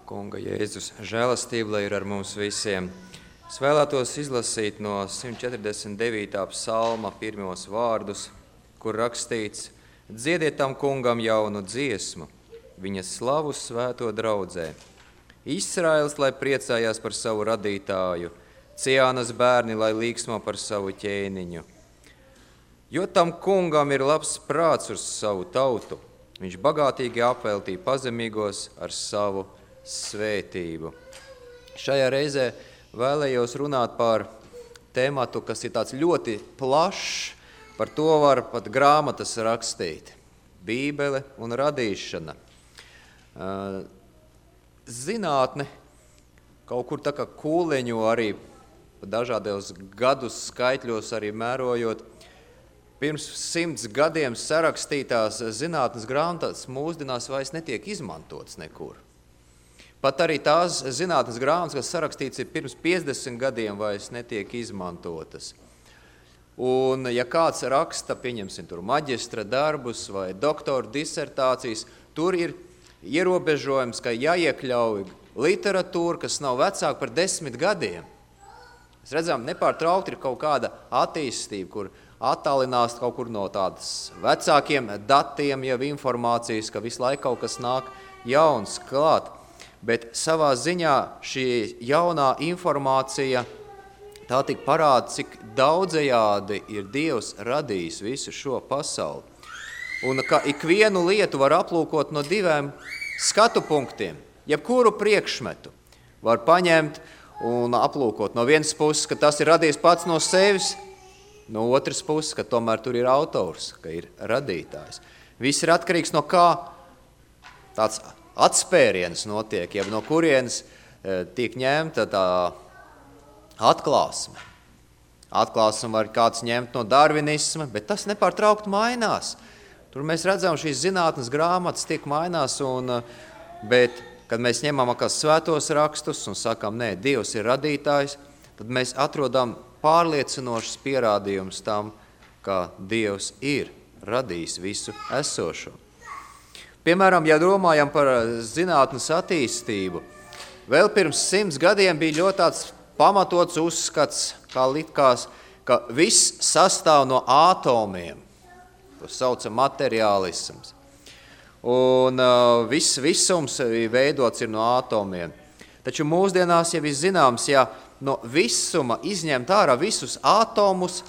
Kunga Jēzus žēlastība, lai ir ar mums visiem. Es vēlētos izlasīt no 149. psalma pirmos vārdus, kur rakstīts: Dziediet tam kungam jaunu dziesmu, viņa slavu svēto draudzē. Izraels, lai priecājās par savu radītāju, Ciānas bērni, lai līksmo par savu ķēniņu. Jo tam kungam ir labs prāts uz savu tautu, viņš bagātīgi apveltīja pazemīgos ar savu svētību. Šajā reizē vēlējos runāt par tēmatu, kas ir tāds ļoti plašs, par to var pat grāmatas rakstīt. Bībele un radīšana. Zinātne kaut kur tā kā kūleņo arī dažādos gadus skaitļos arī mērojot. Pirms 100 gadiem sarakstītās zinātnes grāmatas mūsdienās vairs netiek izmantotas nekur. Pat arī tās zinātnes grāmatas, kas sarakstīts ir pirms 50 gadiem, vairs netiek izmantotas. Un ja kāds raksta, pieņemsim tur maģistra darbus vai doktora disertācijas, tur ir ierobežojums, ka jāiekļauj literatūra, kas nav vecāka par 10 gadiem. Mēs redzam, nepārtraukti ir kaut kāda attīstība, kur attālinās kaut kur no tādas vecākiem datiem, jau informācijas, ka visu laiku kaut kas nāk jauns klāt. Bet savā ziņā šī jaunā informācija tā tik parāda, cik daudzajādi ir Dievs radījis visu šo pasauli. Un ka ikvienu lietu var aplūkot no 2 skatu punktiem. Jebkuru priekšmetu var paņemt un aplūkot no vienas puses, ka tas ir radījis pats no sevis, no otras puses, ka tomēr tur ir autors, ka ir radītājs. Viss ir atkarīgs no kā tāds atspēriens notiek, ja no kurienes tiek ņemta tā atklāsme. Atklāsme var kāds ņemt no darvinisma, bet tas nepārtraukti mainās. Tur mēs redzam, šīs zinātnes grāmatas tiek mainās, bet, kad mēs ņemam svētos rakstus un sakam, nē, Dievs ir radītājs, tad mēs atrodam pārliecinošas pierādījumus tam, ka Dievs ir radījis visu esošo. Piemēram, ja domājam par zinātnes attīstību, vēl pirms 100 gadiem bija ļoti tāds pamatots uzskats, kā likās, ka viss sastāv no ātomiem. To sauca materiālisms. Un viss visums veidots ir no ātomiem. Taču mūsdienās jau ir zināms, ja no visuma izņemt ārā visus ātomus,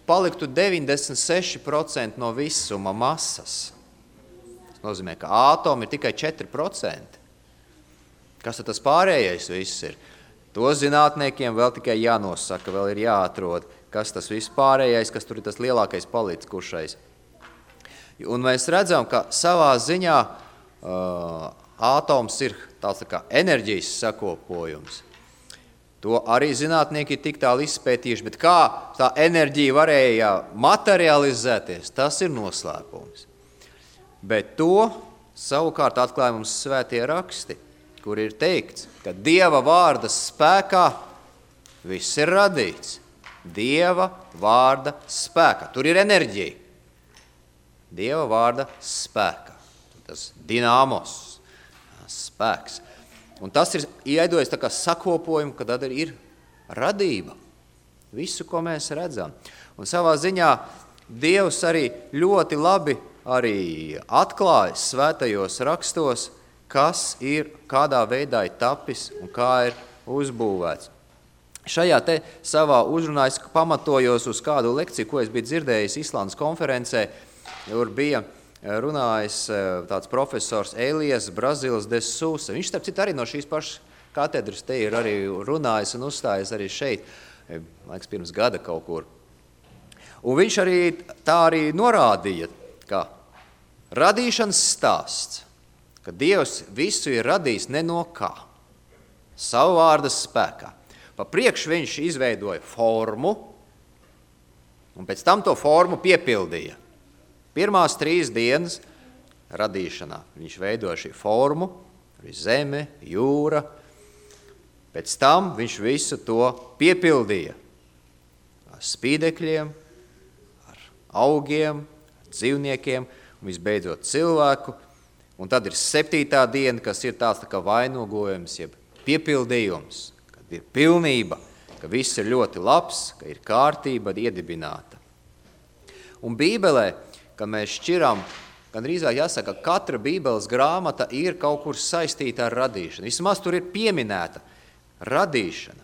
paliktu 96% no visuma masas. Nozīmē, ka ātomi ir tikai 4%. Kas tad tas pārējais viss ir? To zinātniekiem vēl tikai jānosaka, vēl ir jāatrod, kas tas viss pārējais, kas tur ir tas lielākais palikušais. Un mēs redzam, ka savā ziņā ātoms ir tāds kā enerģijas sakopojums. To arī zinātnieki ir tik tālu izpētījuši, bet kā tā enerģija varēja materializēties, tas ir noslēpums. Bet to savukārt atklāja mums svētie raksti, kur ir teikts, ka Dieva vārda spēkā viss ir radīts. Dieva vārda spēkā. Tur ir enerģija. Dieva vārda spēkā. Tas dinamos, spēks. Un tas ir iedojis tā kā sakopojumu, ka tad ir radība. Visu, ko mēs redzam. Un savā ziņā Dievs arī ļoti labi arī atklājas svētajos rakstos, kas ir, kādā veidā ir tapis un kā ir uzbūvēts. Šajā te savā uzrunā es pamatojos uz kādu lekciju, ko es biju dzirdējis Islandes konferencē, kur bija runājis tāds profesors Elijas Brazilas de Sousa. Viņš, starp citu, arī no šīs pašas katedras te ir arī runājis un uzstājies arī šeit, laiks pirms gada kaut kur. Un viņš arī tā arī norādīja, ka radīšanas stāsts, ka Dievs visu ir radījis ne no kā, savu vārda spēkā. Pa priekš viņš izveidoja formu, un pēc tam to formu piepildīja. Pirmās 3 dienas radīšanā viņš veidoja šī formu, zeme, jūra. Pēc tam viņš visu to piepildīja ar spīdekļiem, ar augiem, dzīvniekiem un visbeidzot cilvēku. Un tad ir 7. diena, kas ir tāds tā kā vainogojums, jeb piepildījums, kad ir pilnība, ka viss ir ļoti labs, ka ir kārtība iedibināta. Un Bībelē, kad mēs šķiram, gandrīzāk jāsaka, ka katra Bībeles grāmata ir kaut kur saistīta ar radīšanu. Vismaz tur ir pieminēta radīšana.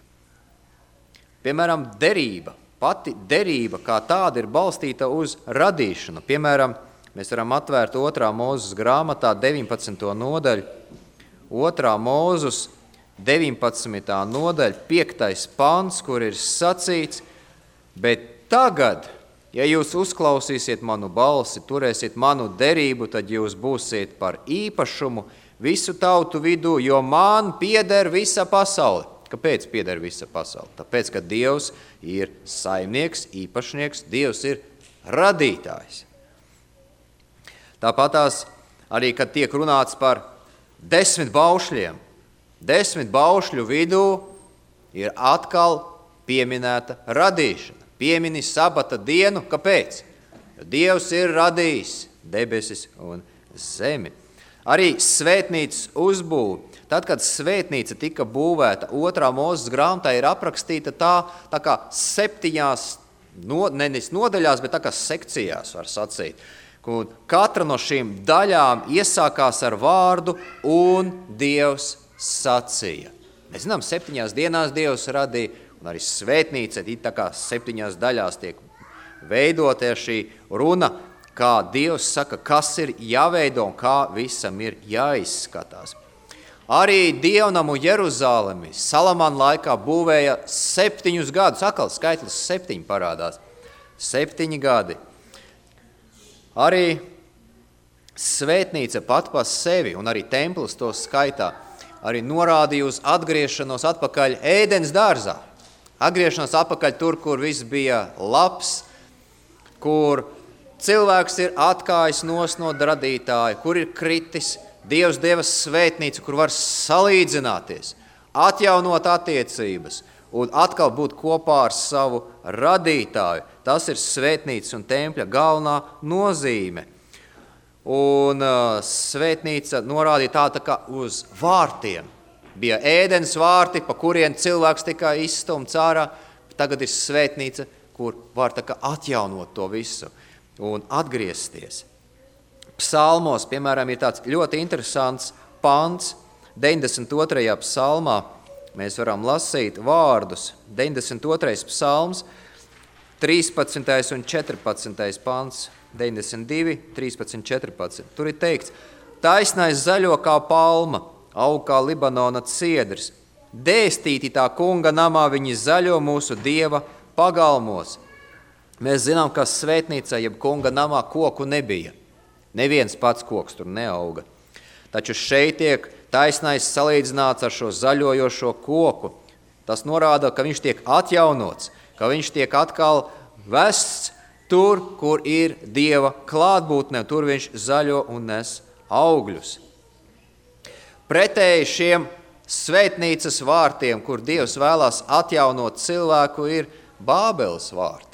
Piemēram, derība. Pati derība kā tāda ir balstīta uz radīšanu. Piemēram, mēs varam atvērt 2. Mūzes grāmatā 19. nodaļu. 2. Mūzes 19. nodaļa, 5. pants, kur ir sacīts, bet tagad, ja jūs uzklausīsiet manu balsi, turēsiet manu derību, tad jūs būsiet par īpašumu visu tautu vidū, jo man pieder visa pasaule. Kāpēc pieder visa pasaule? Tāpēc, ka Dievs ir saimnieks, īpašnieks, Dievs ir radītājs. Tāpatās arī, kad tiek runāts par 10 baušļiem, 10 baušļu vidū ir atkal pieminēta radīšana. Piemini sabata dienu, kāpēc? Jo Dievs ir radījis debesis un zemi. Arī svētnīcas uzbūve. Tad, kad svētnīca tika būvēta, 2. Mūzes grāmatā ir aprakstīta tā kā 7, nevis nodaļās, bet tā kā sekcijās, var sacīt. Un katra no šīm daļām iesākās ar vārdu un Dievs sacīja. Mēs zinām, 7 dienās Dievs radīja, un arī svētnīca, tā kā 7 daļās tiek veidotē šī runa, kā Dievs saka, kas ir jāveido un kā visam ir jāizskatās. Arī dievnamu Jeruzalemi Salamana laikā būvēja 7 gadus, atkal skaitlis 7 parādās, 7 gadi. Arī svētnīca pat pa sevi, un arī templis to skaitā, arī norādīja uz atgriešanos atpakaļ Ēdens dārzā. Atgriešanos atpakaļ tur, kur viss bija labs, kur cilvēks ir atkājis no radītāja, kur ir kritis. Dievs deva svētnīcu, kur var salīdzināties, atjaunot attiecības un atkal būt kopā ar savu radītāju. Tas ir svētnīcas un tempļa galvenā nozīme. Un svētnīca norādīja tā kā uz vārtiem. Bija Ēdens vārti, pa kuriem cilvēks tika izstumts ārā. Tagad ir svētnīca, kur var tā kā atjaunot to visu un atgriezties. Psalmos, piemēram, ir tāds ļoti interesants pants, 92. psalmā. Mēs varam lasīt vārdus. 92. psalms, 13. un 14. pants, 92, 13, 14. Tur ir teikts, taisnais zaļo kā palma, aug kā Libanona ciedrs. Dēstīti tā kunga namā viņi zaļo mūsu Dieva pagalmos. Mēs zinām, ka svētnīcā, jeb kunga namā koku nebija. Neviens pats koks tur neauga. Taču šeit tiek taisnais salīdzināts ar šo zaļojošo koku. Tas norāda, ka viņš tiek atjaunots, ka viņš tiek atkal vests tur, kur ir Dieva klātbūtne, tur viņš zaļo un nes augļus. Pretēji šiem svētnīcas vārtiem, kur Dievs vēlās atjaunot cilvēku, ir Bābeles vārti.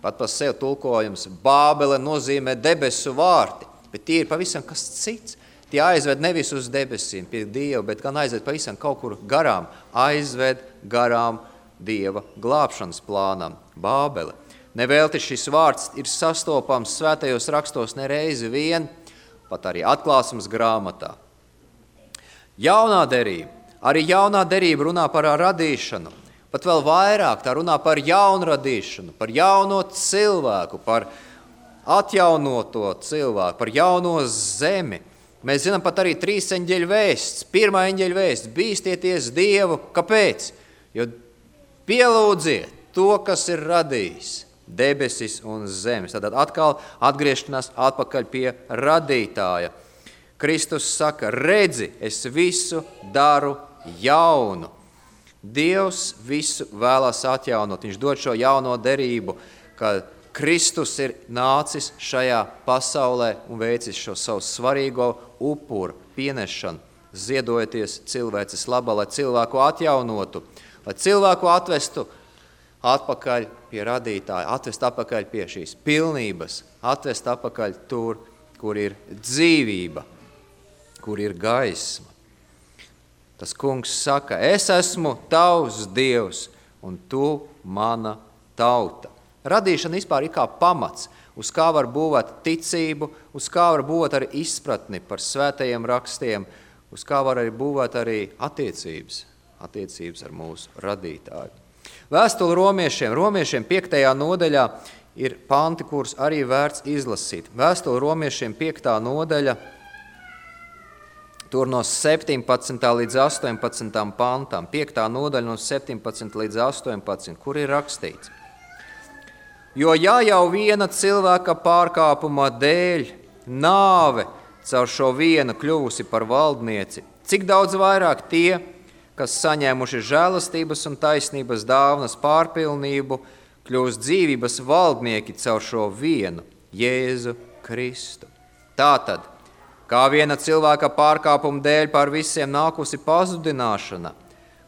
Pat par sevi tulkojums Bābele nozīmē debesu vārti, bet tie ir pavisam kas cits. Tie aizved nevis uz debesīm pie Dieva, bet gan aizved pavisam kaut kur garām, aizved garām Dieva glābšanas plānam, Bābele. Nevelti šis vārds ir sastopams svētajos rakstos nereizi vien, pat arī atklāsmes grāmatā. Jaunā derība. Arī jaunā derība runā par radīšanu. Pat vēl vairāk tā runā par jaunradīšanu, par jauno cilvēku, par atjaunoto cilvēku, par jauno zemi. Mēs zinām pat arī 3 eņģeļu vēsts. 1. eņģeļa vēsts, bīstieties Dievu. Kāpēc? Jo pielūdziet to, kas ir radījis debesis un zemes. Tad atkal atgriešanās atpakaļ pie radītāja. Kristus saka, redzi, es visu daru jaunu. Dievs visu vēlās atjaunot. Viņš dod šo jauno derību, kad Kristus ir nācis šajā pasaulē un veicis šo savu svarīgo upuru pienešanu, ziedojoties cilvēces labā, lai cilvēku atjaunotu, lai cilvēku atvestu atpakaļ pie radītāja, atvest atpakaļ pie šīs pilnības, atvest atpakaļ tur, kur ir dzīvība. kur ir gaisma. Tas kungs saka, es esmu tavs Dievs, un tu mana tauta. Radīšana vispār ir kā pamats, uz kā var būvēt ticību, uz kā var būvēt arī izpratni par svētajiem rakstiem, uz kā var arī būvēt arī attiecības ar mūsu radītāju. Vēstule romiešiem 5. nodaļā ir panti, kurus arī vērts izlasīt. Vēstule romiešiem 5. nodaļa, tur no 17. līdz 18. pantām, 5. nodaļa no 17. līdz 18, kur ir rakstīts. Jo ja jau viena cilvēka pārkāpuma dēļ nāve caur šo vienu kļuvusi par valdnieci, cik daudz vairāk tie, kas saņēmuši žēlastības un taisnības dāvanas pārpilnību, kļūst dzīvības valdnieki caur šo vienu, Jēzu Kristu. Tātad, kā viena cilvēka pārkāpuma dēļ par visiem nākusi pazudināšana,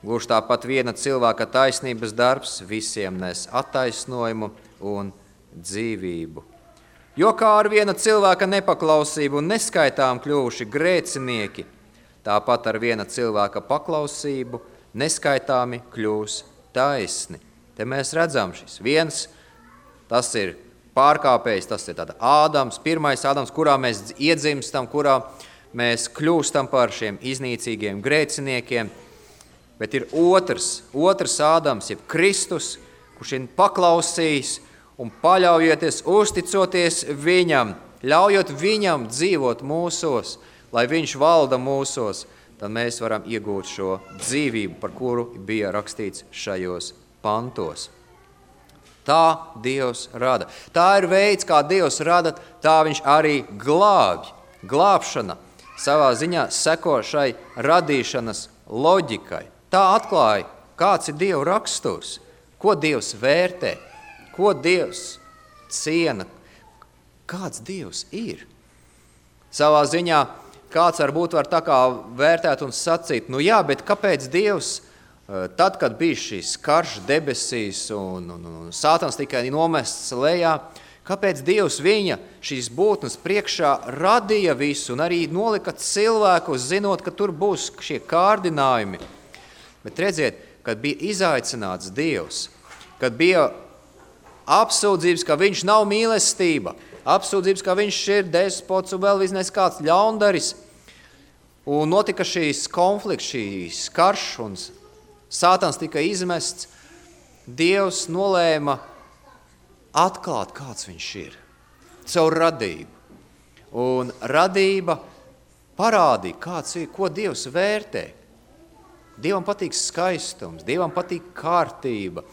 gluži tāpat viena cilvēka taisnības darbs visiem nes attaisnojumu un dzīvību. Jo kā ar viena cilvēka nepaklausību un neskaitām kļuvuši grēcinieki, tāpat ar viena cilvēka paklausību neskaitāmi kļūs taisni. Te mēs redzam šis viens, tas ir pārkāpējs, tas ir tāda Ādams, pirmais Ādams, kurā mēs iedzimstam, kurā mēs kļūstam par šiem iznīcīgiem grēciniekiem, bet ir otrs Ādams, jeb Kristus, kurš ir paklausījis un paļaujoties, uzticoties viņam, ļaujot viņam dzīvot mūsos, lai viņš valda mūsos, tad mēs varam iegūt šo dzīvību, par kuru bija rakstīts šajos pantos. Tā Dievs rada. Tā ir veids, kā Dievs rada, tā viņš arī glābj. Glābšana savā ziņā seko šai radīšanas loģikai. Tā atklāja, kāds ir Dieva raksturs, ko Dievs vērtē, ko Dievs ciena, kāds Dievs ir. Savā ziņā kāds varbūt var tā kā vērtēt un sacīt, nu jā, bet kāpēc Dievs, tad, kad bija šis karš debesīs un Sātans tikai nomests lejā, kāpēc Dievs viņa šīs būtnes priekšā radīja visu un arī nolika cilvēku, zinot, ka tur būs šie kārdinājumi. Bet redziet, kad bija izaicināts Dievs, kad bija apsūdzības, ka viņš nav mīlestība, apsūdzības, ka viņš ir despots un vēl visnēs kāds ļaundaris, un notika šīs konflikts, šīs karš, un Sātans tika izmests, Dievs nolēma atklāt, kāds viņš ir, caur radību. Un radība parādīja, kāds ir, ko Dievs vērtē. Dievam patīk skaistums, Dievam patīk kārtība,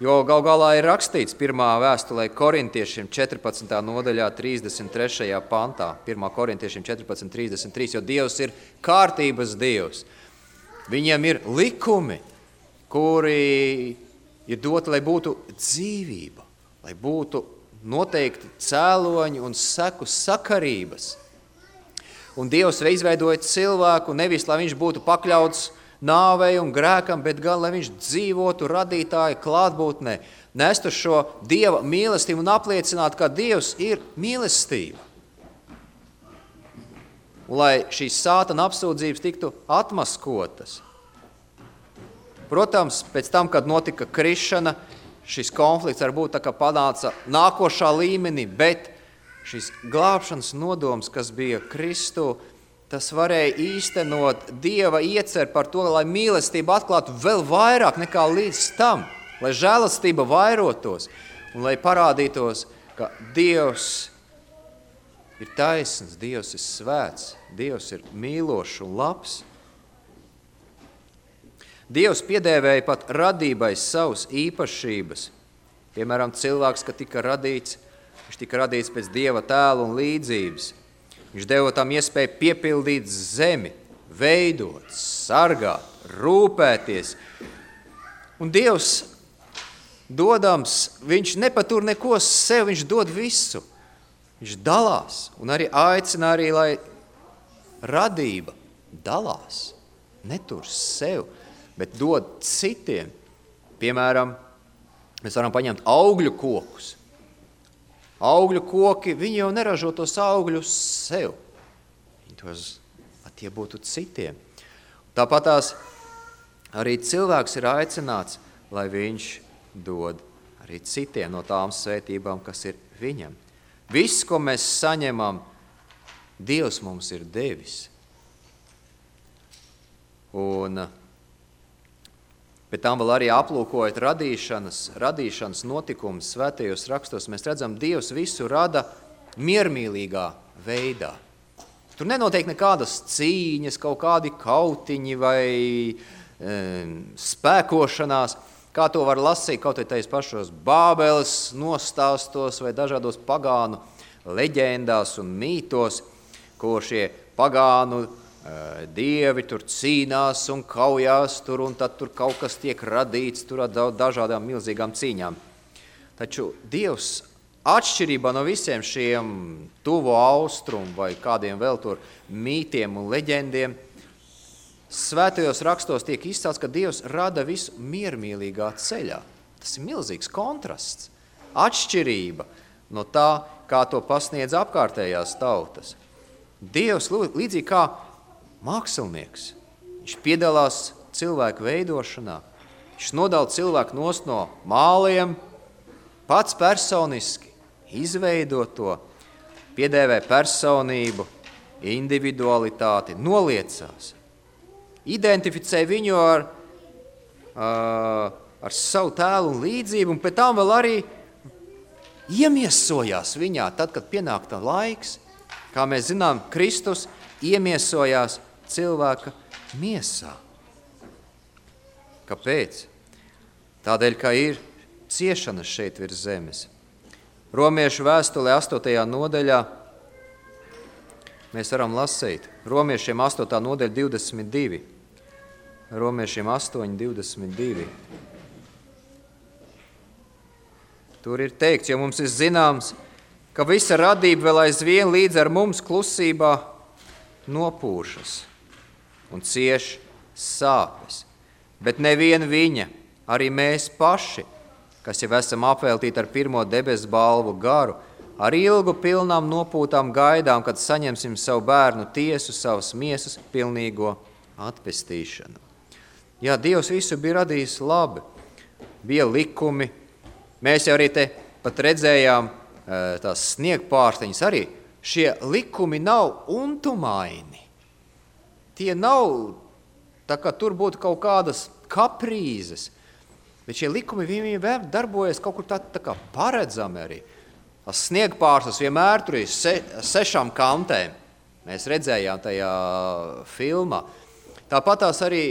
jo gal galā ir rakstīts pirmā vēstulē korintiešiem 14. nodaļā 33. pantā, 1. korintiešiem 14.33, jo Dievs ir kārtības Dievs. Viņiem ir likumi, kuri ir doti, lai būtu dzīvība, lai būtu noteikti cēloņi un seku sakarības. Un Dievs izveidoja cilvēku nevis, lai viņš būtu pakļauts nāvei un grēkam, bet gan, lai viņš dzīvotu radītāja klātbūtnē, nestu šo Dieva mīlestību un apliecinātu, ka Dievs ir mīlestība. Un lai šīs Sātana apsūdzības tiktu atmaskotas. Protams, pēc tam, kad notika krišana, šis konflikts varbūt tā kā panāca nākošā līmenī, bet šis glābšanas nodoms, kas bija Kristu, tas varēja īstenot Dieva iecer par to, lai mīlestība atklātu vēl vairāk nekā līdz tam, lai žēlastība vairotos un lai parādītos, ka Dievs ir taisns, Dievs ir svēts, Dievs ir mīlošs un labs. Dievs piedēvēja pat radībai savas īpašības. Piemēram, cilvēks, kad tika radīts, viņš tika radīts pēc Dieva tēla un līdzības. Viņš deva tam iespēju piepildīt zemi, veidot, sargāt, rūpēties. Un Dievs dodams, viņš nepatur neko sev, viņš dod visu. Viņš dalās un arī aicina arī, lai radība dalās, netur sev, bet dod citiem. Piemēram, mēs varam paņemt augļu kokus. Augļu koki, viņi jau neražo tos augļus sev. Viņi tos tie būtu citiem. Tāpatās arī cilvēks ir aicināts, lai viņš dod arī citiem no tām svētībām, kas ir viņam. Viss, ko mēs saņemam, Dievs mums ir devis. Un pēc tam vēl arī aplūkojot radīšanas notikumus svētajos rakstos, mēs redzam, Dievs visu rada miermīlīgā veidā. Tur nenotiek nekādas cīņas, kaut kādi kautiņi vai spēkošanās, kā to var lasīt kaut tais pašos Bābeles nostāstos vai dažādos pagānu leģendās un mītos, kur šie pagānu dievi tur cīnās un kaujās tur, un tad tur kaut kas tiek radīts tur ar dažādām milzīgām cīņām. Taču Dievs atšķirībā no visiem šiem tuvo austrumu vai kādiem vēl tur mītiem un leģendiem, svētajos rakstos tiek izcelts, ka Dievs rada visu miermīlīgā ceļā. Tas ir milzīgs kontrasts, atšķirība no tā, kā to pasniedz apkārtējās tautas. Dievs līdzīgi kā mākslinieks, viņš piedalās cilvēku veidošanā, viņš nodala cilvēku nost no māliem, pats personiski izveido to, piedēvē personību, individualitāti, noliecās, identificē viņu ar savu tēlu un līdzību, un pēc tam vēl arī iemiesojās viņā, tad, kad pienāk tā laiks. Kā mēs zinām, Kristus iemiesojās cilvēka miesā. Kāpēc? Tādēļ, ka ir ciešanas šeit virs zemes. Romiešu vēstulē 8. nodaļā mēs varam lasīt. Romiešiem 8. nodaļa 22. Romiešiem 8, 22. Tur ir teikts, jo mums ir zināms, ka visa radība vēl aizvien līdz ar mums klusībā nopūšas un cieš sāpes. Bet nevien viņa, arī mēs paši, kas jau esam apveltīti ar pirmo debesu balvu garu, ar ilgu pilnām nopūtām gaidām, kad saņemsim savu bērnu tiesu, savas miesas pilnīgo atpestīšanu. Jā, Dievs visu bija radījis labi. Bija likumi. Mēs jau arī te pat redzējām tās sniegpārsteņas arī. Šie likumi nav untumaini. Tie nav, tā kā tur būtu kaut kādas kaprīzes, bet šie likumi vienmēr darbojas kaut kur tā kā paredzami arī. Tas sniegpārstas vienmēr tur ir 6 kantēm. Mēs redzējām tajā filmā. Tāpat tās arī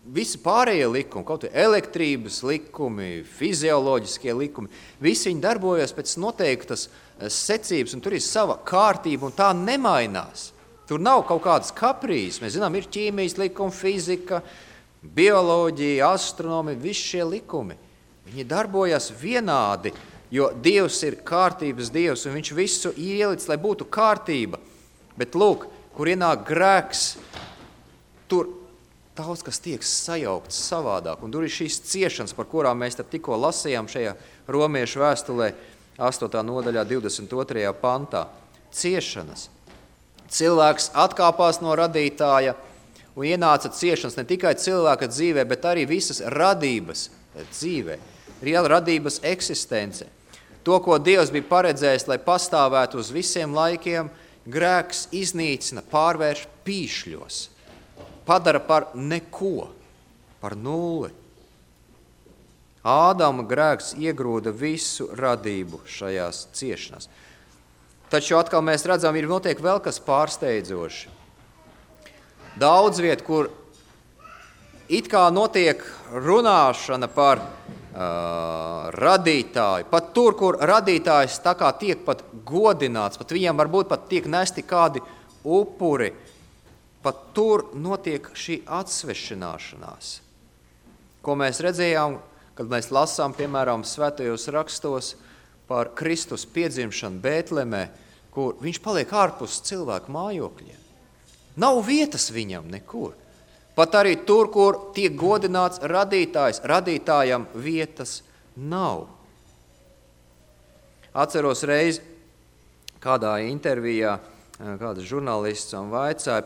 visi pārējie likumi, kaut vai elektrības likumi, fizioloģiskie likumi, visi viņi darbojas pēc noteiktas secības, un tur ir sava kārtība, un tā nemainās. Tur nav kaut kādas kaprīzes. Mēs zinām, ir ķīmijas likumi, fizika, bioloģija, astronomija, visi šie likumi. Viņi darbojas vienādi, jo Dievs ir kārtības Dievs, un viņš visu ielic, lai būtu kārtība. Bet lūk, kur ienāk grēks, tur daudz, kas tiek sajaukts savādāk, un tur ir šīs ciešanas, par kurām mēs tikko lasījām šajā Romiešu vēstulē 8. nodaļā 22. pantā. Ciešanas. Cilvēks atkāpās no radītāja un ienāca ciešanas ne tikai cilvēka dzīvē, bet arī visas radības dzīvē, radības eksistence. To, ko Dievs bija paredzējis, lai pastāvētu uz visiem laikiem, grēks iznīcina, pārvērš pīšļos. Padara par neko, par nulli. Ādama grēks iegrūda visu radību šajās ciešanās. Taču atkal mēs redzam, ir notiek vēl kas pārsteidzoši. Daudz viet, kur it kā notiek runāšana par radītāju, pat tur, kur radītājs tā kā tiek pat godināts, pat viņam varbūt pat tiek nesti kādi upuri, pat tur notiek šī atsvešināšanās, ko mēs redzējām, kad mēs lasām, piemēram, svētajos rakstos par Kristus piedzimšanu Bētlemē, kur viņš paliek ārpus cilvēku mājokļiem. Nav vietas viņam nekur. Pat arī tur, kur tiek godināts radītājs, radītājam vietas nav. Atceros reizi kādā intervijā kāds žurnālists un vaicāja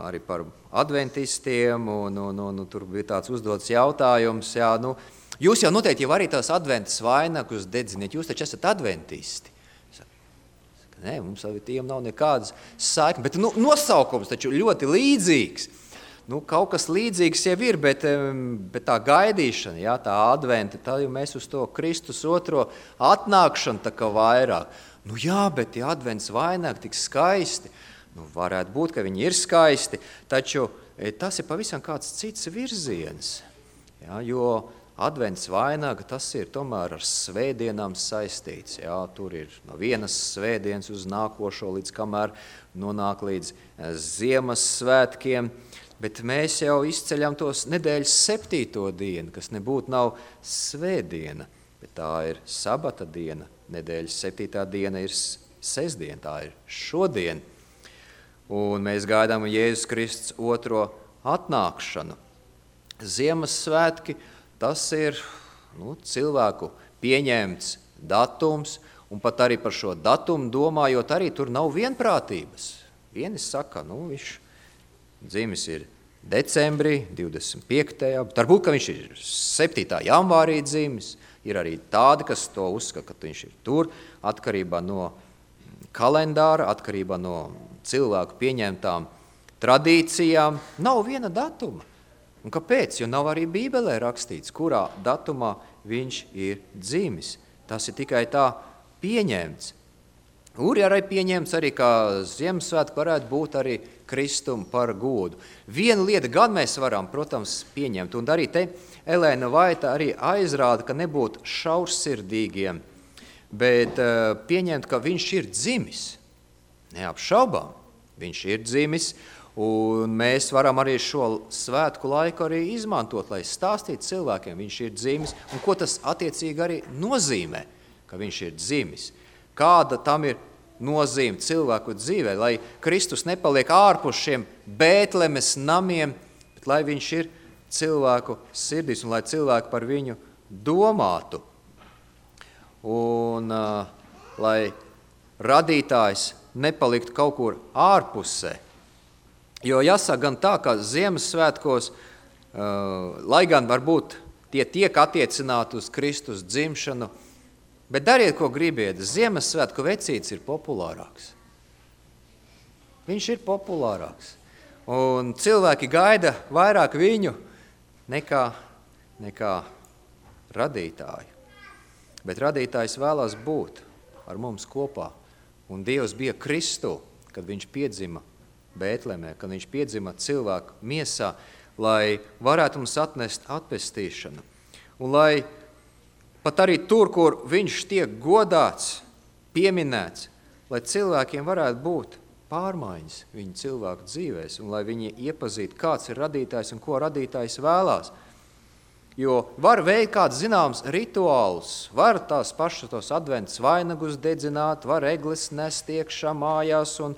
arī par adventistiem, un tur bija tāds uzdots jautājums, jūs jau noteikti jau arī tās adventas vainagus dedziniet, jūs taču esat adventisti. Nē, mums ar tiem nav nekādas saiknes, bet nosaukums taču ļoti līdzīgs. Kaut kas līdzīgs jau ir, bet tā gaidīšana, tā adventa, tā jau mēs uz to Kristus otro atnākšanu tā kā vairāk. Bet tie advents vainagi tik skaisti, varētu būt, ka viņi ir skaisti, taču tas ir pavisam kāds cits virziens, jo advents vainaga, tas ir tomēr ar svētdienām saistīts. Tur ir no vienas svētdienas uz nākošo, līdz kamēr nonāk līdz Ziemassvētkiem, bet mēs jau izceļam tos nedēļas 7. dienu, kas nebūtu nav svētdiena, bet tā ir sabata diena, nedēļas 7. diena ir sestdiena, tā ir šodien. Un mēs gaidām Jēzus Kristus otro atnākšanu. Ziemassvētki, tas ir cilvēku pieņemts datums, un pat arī par šo datumu domājot, arī tur nav vienprātības. Vieni saka, viņš dzimis ir decembrī, 25. Varbūt, ka viņš ir 7. janvārī dzimis. Ir arī tādi, kas to uzskata, ka viņš ir tur, atkarībā no kalendāra, atkarībā no cilvēku pieņemtām tradīcijām. Nav viena datuma. Un kāpēc? Jo nav arī Bībelē rakstīts, kurā datumā viņš ir dzimis. Tas ir tikai tā pieņemts. Ir arī pieņemts arī, ka Ziemassvētku varētu būt arī Kristum par godu. Viena lieta gan mēs varam, protams, pieņemt, un arī te Elēna Vaita arī aizrāda, ka nebūtu šaursirdīgiem, bet pieņemt, ka viņš ir dzimis. Neapšaubām, viņš ir dzimis, un mēs varam arī šo svētku laiku arī izmantot, lai stāstītu cilvēkiem, viņš ir dzimis, un ko tas attiecīgi arī nozīmē, ka viņš ir dzimis. Kāda tam ir nozīme cilvēku dzīvē, lai Kristus nepaliek ārpus šiem Bētlemes namiem, bet lai viņš ir cilvēku sirdīs un lai cilvēki par viņu domātu. Un lai radītājs nepaliktu kaut kur ārpusē. Jo jāsaka gan tā, ka Ziemassvētkos, lai gan varbūt tie tiek attiecināti uz Kristus dzimšanu, bet dariet, ko gribiet, Ziemassvētku vecītis ir populārāks. Viņš ir populārāks. Un cilvēki gaida vairāk viņu nekā radītāju. Bet radītājs vēlās būt ar mums kopā. Un Dievs bija Kristu, kad viņš piedzima Bētlemē, kad viņš piedzima cilvēku miesā, lai varētu mums atnest atpestīšanu. Un lai pat arī tur, kur viņš tiek godāts, pieminēts, lai cilvēkiem varētu būt pārmaiņas viņu cilvēku dzīvēs, un lai viņi iepazītu, kāds ir radītājs un ko radītājs vēlās. Jo var veikt kāds zināms rituāls, var tās pašas tos adventas vainagus dedzināt, var eglis nest iekšā mājās un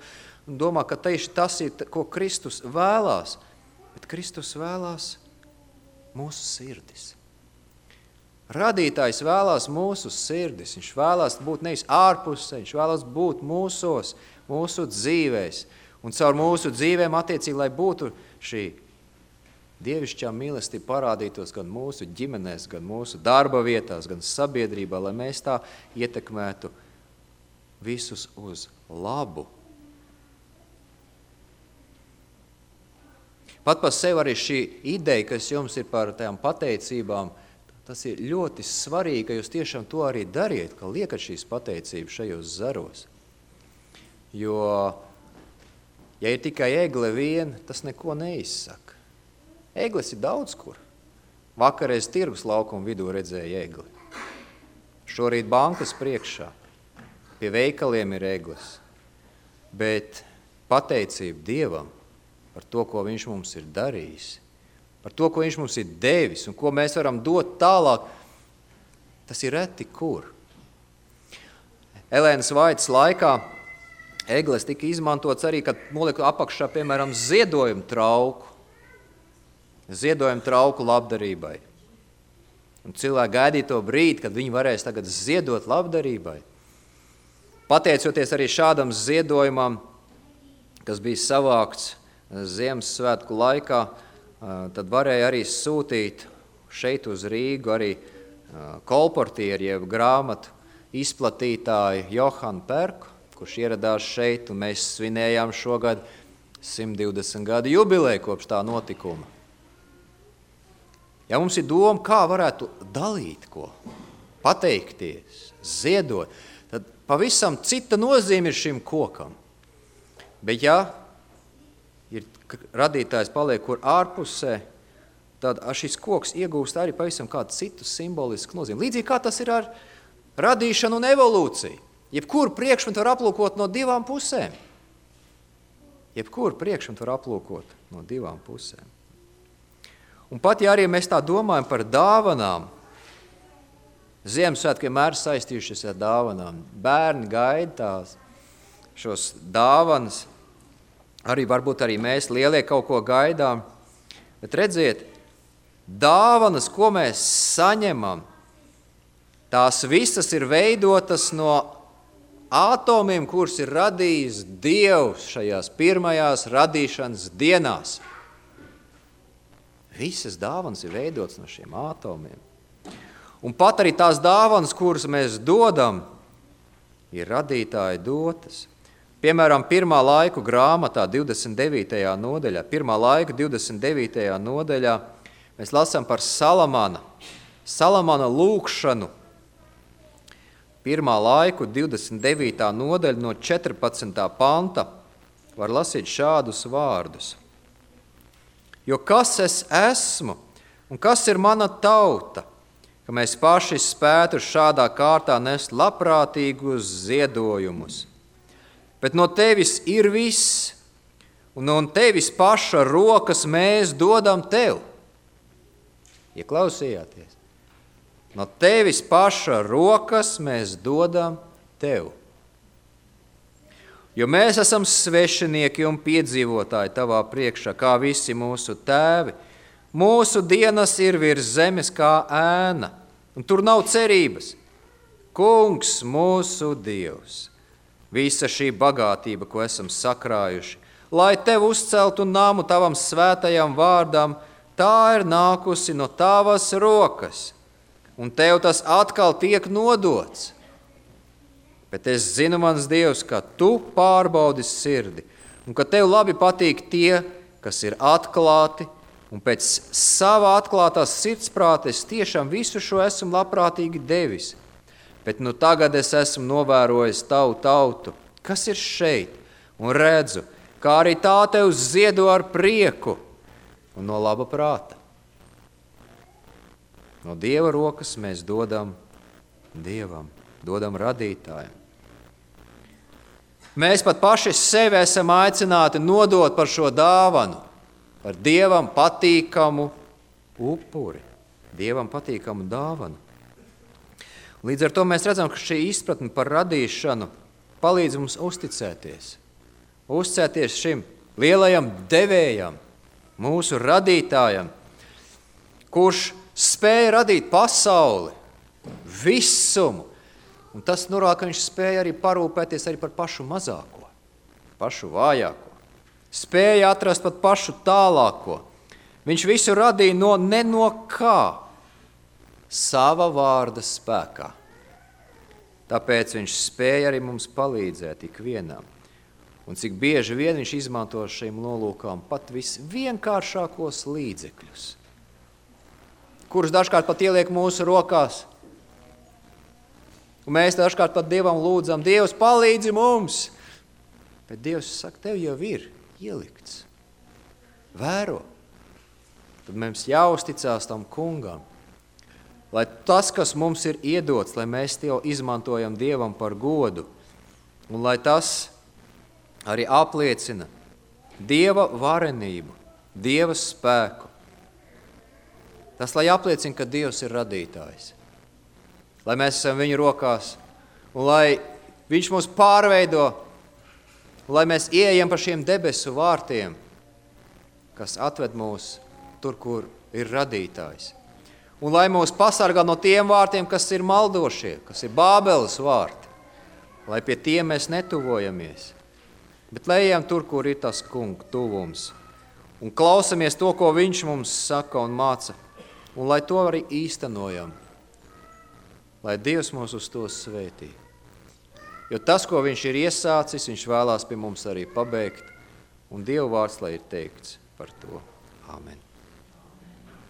domā, ka tieši tas ir, ko Kristus vēlās. Bet Kristus vēlās mūsu sirdis. Radītājs vēlās mūsu sirdis. Viņš vēlās būt nevis ārpusē, viņš vēlās būt mūsos, mūsu dzīvēs. Un caur mūsu dzīvēm attiecīgi, lai būtu šī dievišķā mīlestība parādītos gan mūsu ģimenēs, gan mūsu darba vietās, gan sabiedrībā, lai mēs tā ietekmētu visus uz labu. Pat par sevi arī šī ideja, kas jums ir par tām pateicībām, tas ir ļoti svarīgi, ka jūs tiešām to arī dariet, ka liekat šīs pateicības šajos zaros. Jo, ja ir tikai egle vien, tas neko neizsaka. Egles ir daudz kur. Vakarreiz tirgus laukuma vidū redzēja egli. Šorīt bankas priekšā. Pie veikaliem ir egles. Bet pateicība Dievam par to, ko viņš mums ir darījis, par to, ko viņš mums ir devis un ko mēs varam dot tālāk, tas ir reti kur. Elēnas Vaitas laikā egles tika izmantots arī, kad nolika apakšā, piemēram, ziedojumu trauku labdarībai. Un cilvēki gaidīja to brīdi, kad viņi varēs tagad ziedot labdarībai. pateicoties arī šādam ziedojumam, kas bija savākts Ziemassvētku laikā, tad varēja arī sūtīt šeit uz Rīgu arī kolportieri, jeb grāmatu izplatītāju Johanu Perku, kurš ieradās šeit, un mēs svinējām šogad 120 gadu jubileju kopš tā notikuma. Ja mums ir doma, kā varētu dalīt ko, pateikties, ziedot, tad pavisam cita nozīme ir šim kokam. Bet ja ir radītājs paliek kur ārpusē, tad šis koks iegūst arī pavisam kādu citu simbolisku nozīmi. Līdzīgi kā tas ir ar radīšanu un evolūciju. Jebkuru priekšmetu var aplūkot no divām pusēm. Jebkuru priekšmetu var aplūkot no divām pusēm. Un pat ja arī mēs tā domājam par dāvanām, Ziemassvētki vienmēr saistījušies ar dāvanām. Bērni gaida tās, šos dāvanas, arī varbūt arī mēs lielie kaut ko gaidām, bet redziet, dāvanas, ko mēs saņemam, tās visas ir veidotas no atomiem, kurus ir radījis Dievs šajās pirmajās radīšanas dienās. Visas dāvanas ir veidotas no šiem atomiem. Un pat arī tās dāvanas, kuras mēs dodam, ir radītāji dotas. Piemēram, Pirmā laiku grāmatā 29. nodaļā, Pirmā laika 29. nodaļā, mēs lasām par Salamana lūgšanu. Pirmā laiku 29. nodaļa no 14. panta var lasīt šādus vārdus. Jo kas es esmu un kas ir mana tauta, ka mēs paši spētu šādā kārtā nest labprātīgus ziedojumus. Bet no tevis ir viss, un no tevis paša rokas mēs dodam tev. Ieklausījāties? No tevis paša rokas mēs dodam tev. Jo mēs esam svešinieki un piedzīvotāji tavā priekšā, kā visi mūsu tēvi. Mūsu dienas ir virs zemes kā ēna, un tur nav cerības. Kungs, mūsu Dievs, visa šī bagātība, ko esam sakrājuši, lai tev uzceltu namu tavam svētajam vārdam, tā ir nākusi no tavas rokas, un tev tas atkal tiek nodots. Bet es zinu, mans Dievs, ka tu pārbaudi sirdi, un ka tev labi patīk tie, kas ir atklāti, un pēc savā atklātās sirdsprāta es tiešām visu šo esmu labprātīgi devis. Bet nu tagad es esmu novērojis tavu tautu, kas ir šeit, un redzu, kā arī tā tev ziedo ar prieku un no laba prāta. No Dieva rokas mēs dodam Dievam, dodam radītājam. Mēs pat paši sevi esam aicināti nodot par šo dāvanu, par Dievam patīkamu upuri, Dievam patīkamu dāvanu. Līdz ar to mēs redzam, ka šī izpratne par radīšanu palīdz mums uzticēties. Uzticēties šim lielajam devējam, mūsu radītājam, kurš spēja radīt pasauli, visumu. Un tas norāda, ka viņš spēja arī parūpēties arī par pašu mazāko, pašu vājāko. Spēja atrast pat pašu tālāko. Viņš visu radīja ne no kā, sava vārda spēkā. Tāpēc viņš spēja arī mums palīdzēt ikvienam. Un cik bieži vien viņš izmanto šīm nolūkām pat visvienkāršākos līdzekļus, kurus dažkārt pat ieliek mūsu rokās. Un mēs dažkārt pat Dievam lūdzam, Dievs, palīdzi mums. Bet Dievs saka, tev jau ir ielikts. Vēro. Tad mums jāuzticās tam kungam, lai tas, kas mums ir iedots, lai mēs to izmantojam Dievam par godu, un lai tas arī apliecina Dieva varenību, Dieva spēku. Tas, lai apliecina, ka Dievs ir radītājs, lai mēs esam viņa rokās, un lai viņš mūs pārveido, lai mēs ieejam pa šiem debesu vārtiem, kas atved mūs tur, kur ir radītājs. Un lai mūs pasargā no tiem vārtiem, kas ir maldošie, kas ir Bābeles vārti. lai pie tiem mēs netuvojamies, bet lai ejam tur, kur ir tas kunga tuvums, un klausamies to, ko viņš mums saka un māca, un lai to arī īstenojam, lai Dievs mūs uz to svētī. Jo tas, ko viņš ir iesācis, viņš vēlās pie mums arī pabeigt, un Dieva vārds, lai ir teikts par to. Āmen.